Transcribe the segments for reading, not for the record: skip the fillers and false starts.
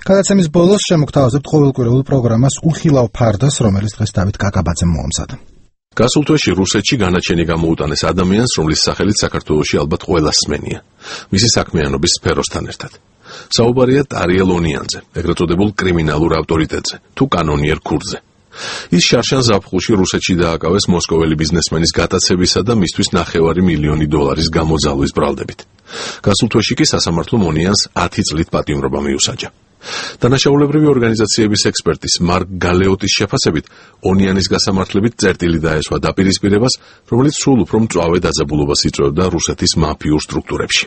გადაცემის ბოლოს შემოგთავაზებთ ყოველკვირეულ პროგრამას უხილავ ფარდას, რომელიც დღეს დავით კაკაბაძემ მოამზადა. გასულ თვეში რუსეთში განაჩენი გამოუტანეს ადამიანს, რომლის სახელით საქართველოში ალბათ ყველას სმენია, მისი საქმიანობის სფეროსთან ერთად. საუბარია ტარიელ ონიანზე, ეგრეთ წოდებულ კრიმინალურ ავტორიტეტზე, თუ კანონიერ ქურდზე. ის შარშან ზაფხულში რუსეთში დააკავეს მოსკოველი ბიზნესმენის გატაცებისა და მისთვის $900,000 გამოძალვის ბრალდებით. გასულ თვეში კი სასამართლომ ონიანს 10 წლით პატიმრობა მიუსაჯა. დანაშაულებრივი ორგანიზაციების ექსპერტის მარკ გალეოტის შეფასებით, ონიანის გასამართლებით წერტილი დაესვა დაპირისპირებას, რომელიც სულ უფრო მწვავე დაძაბულობას იწვევდა რუსეთის მაფიურ სტრუქტურებში.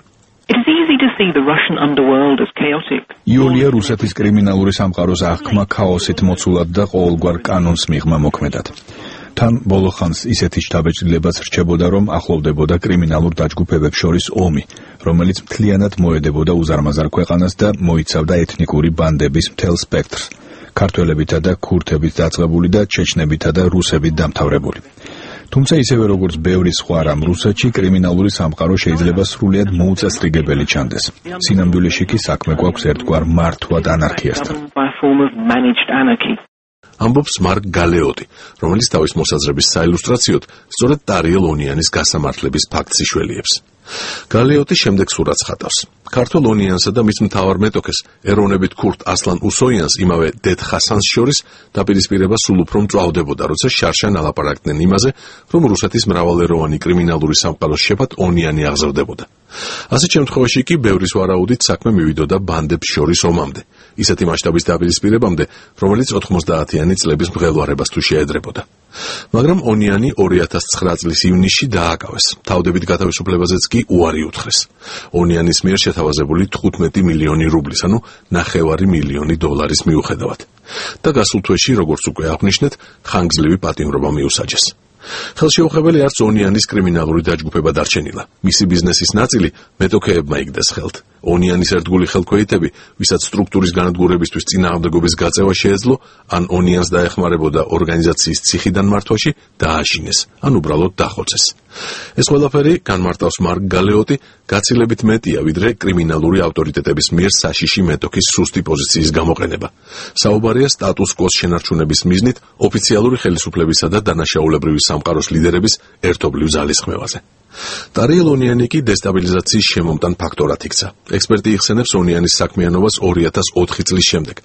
იულია რუსეთის კრიმინალური სამყაროს აღქმა ქაოსით მოცულად და ყოველგვარ კანონს მიღმა მოქმედად. თან ბოლო ხანს ისეთი შთაბეჭდილებაც რჩებოდა, რომ ახლოვდებოდა კრიმინალურ დაჯგუფებებს შორის ომი, რომელიც მთლიანად მოედებოდა უზარმაზარ ქვეყანას და მოიცავდა ეთნიკური ბანდების მთელ სპექტრს, ქართველებითა და ქურთებით დაწყებული და ჩეჩნებითა და რუსებით დამთავრებული. თუმცა ისევე როგორც ბევრი სხვა რამ რუსეთში კრიმინალური სამყარო შეიძლება სრულიად მოუწესრიგებელი ჩანდეს. სინამდვილეში კი საქმე გვაქვს ერთგვარ მართვად ანარქიასთან. ამბობს მარკ გალეოტი, რომელიც თავის მოსაზრების საილუსტრაციოდ სწორედ ტარიელ ონიანის გასამართლების ფაქტს იშველიებს. გალეოტი შემდეგ სურათს ხატავს. ქართველ ონიანსა და მის მთავარ მეტოქეს, ეროვნებით ქურთ ასლან უსოიანს იმავე დედ ხასანს შორის დაპირისპირება სულ უფრო მწვავდებოდა, როცა შარშან ალაპარაკდნენ იმაზე, რომ რუსეთის მრავალეროვანი კრიმინალური სამყაროს შეფად ონიანი აღზრდებოდა. ასეთ შემთხვევაში კი ბევრის ვარაუდით საქმე მივიდოდა ბანდებს შორის ომამდე, ისეთი მასშტაბის დაპირისპირებამდე, რომელიც 90-იანი წლების მღელვარებას თუ შეედრებოდა. მაგრამ ონიანი 2009 წლის ივნისში დააკავეს. თავდებით გათავისუფლებაზეც კი უარი უთხრეს. ონიანის მიერ შეთავაზებული 15 მილიონი რუბლის, ანუ $900,000 მიუხედავად. და გასულ თვეში, როგორც უკვე აღნიშნეთ, ხანგრძლივი პატიმრობა მიუსაჯეს. ხელშეუხებელი არც ონიანის კრიმინალური დაჯგუფება დარჩენილა. მისი ბიზნესის ნაწილი მეტოქეებმა იგდეს ხელთ. ონიანის ერთგული ხელქვეითები, ვისაც სტრუქტურის განადგურებისთვის წინააღმდეგობის გაწევა შეეძლო, ან ონიანს დაეხმარებოდა ორგანიზაციის ციხიდან მართვაში, დააშინეს, ან უბრალოდ დახოცეს. ეს ყველაფერი, განმარტავს მარკ გალეოტი, გაცილებით მეტია, ვიდრე კრიმინალური ავტორიტეტების მიერ საშიში მეტოქის სუსტი პოზიციის გამოყენება. საუბარია სტატუს კოს შენარჩუნების მიზნით ოფიციალური ხელისუფლებისა და დანაშაულებრივი სამყაროს ლიდერების ერთობლივ ძალისხმევაზე. ტარიელ ონიანი კი დესტაბილიზაციის შემომტან ფაქტორად იქცა. ექსპერტი იხსენებს ონიანის საქმიანობას 2004 წლის შემდეგ,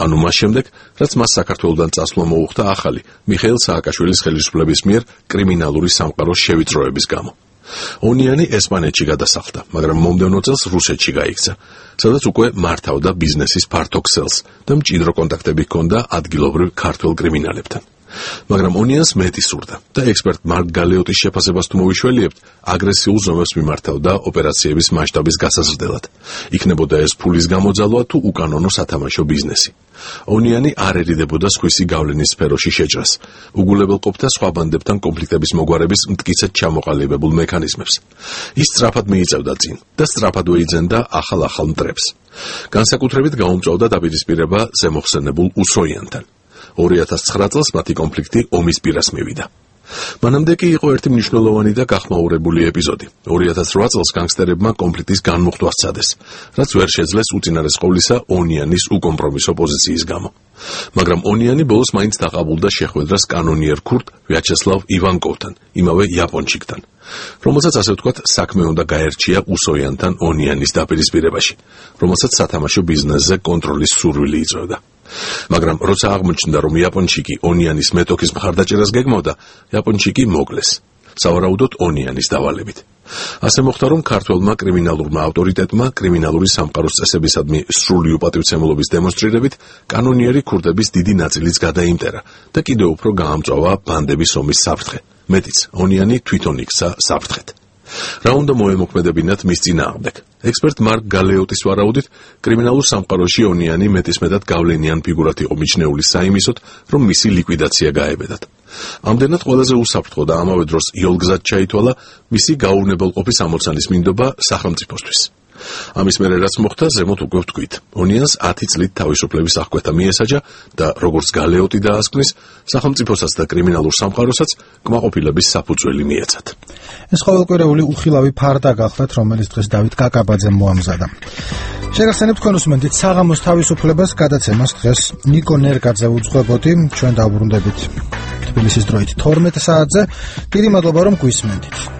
ანუ მას შემდეგ, რაც მას საქართველოდან წასვლა მოუხდა ახალი მიხეილ სააკაშვილის ხელისუფლების მიერ კრიმინალური სამყაროს შევიწროების გამო. ონიანი ესპანეთში გადასახლდა, მაგრამ მომდევნო წელს რუსეთში გაიქცა, სადაც უკვე მართავდა ბიზნესის ფართო ქსელს და მჭიდრო კონტაქტები ჰქონდა ადგილობრივ ქართველ კრიმინალებთან. მაგრამ ონიანს მეტი სურდა და ექსპერტ მარკ გალეოტის შეფასებას თუ მოვიშველიებთ, აგრესიულ ზომებს მიმართავდა ოპერაციების მასშტაბის გასაზრდელად. იქნებოდა ეს ფულის გამოძალვა თუ უკანონო სათამაშო ბიზნესი. ონიანი არ ერიდებოდა სხვისი გავლენის სფეროში შეჭრას. უგულებელყოფდა სხვა ბანდებთან კონფლიქტების მოგვარების მტკიცედ ჩამოყალიბებულ მექანიზმებს. ის სწრაფად მიიწევდა წინ და სწრაფადვე იძენდა ახალ მტრებს. განსაკუთრებით გაუმწვავდა დაპირისპირება ზემოხსენებულ უსოიანთან. 2009 წელს მათი კონფლიქტი ომის პირას მივიდა. მანამდე კი იყო ერთი მნიშვნელოვანი და გახმაურებული ეპიზოდი. 2008 წელს განგსტერებმა კონფლიქტის განმუხტვა სცადეს, რაც ვერ შეძლეს უწინარეს ყოვლისა ონიანის უკომპრომისო პოზიციის გამო. მაგრამ ონიანი ბოლოს მაინც დაყაბულდა შეხვედრას კანონიერ ქურთ ვიაჩესლავ ივანკოვთან, იმავე იაპონჩიკთან, რომელსაც ასე ვთქვათ საქმე უნდა გაერჩია უსოიანთან ონიანის დაპირისპირებაში, რომელსაც სათამაშო ბიზნესზე კონტროლის სურვილი იწვევდა. მაგრამ როცა აღმოჩნდა, რომ იაპონჩიკი ონიანის მეტოქის მხარდაჭერას გეგმავდა, იაპონჩიკი მოკლეს, სავარაუდოდ ონიანის დავალებით. ასე მოხდა, რომ ქართველმა კრიმინალურმა ავტორიტეტმა კრიმინალური სამყაროს წესებისადმი სრული უპატივცემლობის დემონსტრირებით კანონიერი ქურდების დიდი ნაწილიც გადაიმტერა და კიდევ უფრო გაამწვავა ბანდების ომის საფრთხე. მეტიც, ონიანი თვითონ იქცა საფრთხეთ. რა უნდა მოემოქმედებინათ მის წინააღმდეგ? ექსპერტ მარკ გალეოტის ვარაუდით, კრიმინალურ სამყაროში ონიანი მეტისმეტად გავლენიან ფიგურად იყო მიჩნეული საიმისოდ, რომ მისი ლიკვიდაცია გაებედათ. ამდენად ყველაზე უსაფრთხო და ამავე დროს იოლგზად ჩაითვალა მისი გაუვნებელყოფის ამოცანის მინდობა სახელმწიფოსთვის. ამის მერე რაც მოხდა, ზემოთ უკვე ვთქვით, ონიანს 10 წლით თავისუფლების აღკვეთა მიესაჯა და როგორც გალეოტი დაასკვნის, სახელმწიფოსაც და კრიმინალურ სამყაროსაც კმაყოფილების საფუძველი მიეცათ. ეს ყოველკვირეული უხილავი ფარდა გახლდათ, რომელიც დღეს დავით კაკაბაძემ მოამზადა. შეგახსენებთ თქვენ უსმენთ საღამოს თავისუფლებას გადაცემას დღეს ნიკო ნერგაძე უძღვებოდი ჩვენ დავბრუნდებით თბილისის დროით 12 საათზე. დიდი მადლობა რომ გვისმენთ.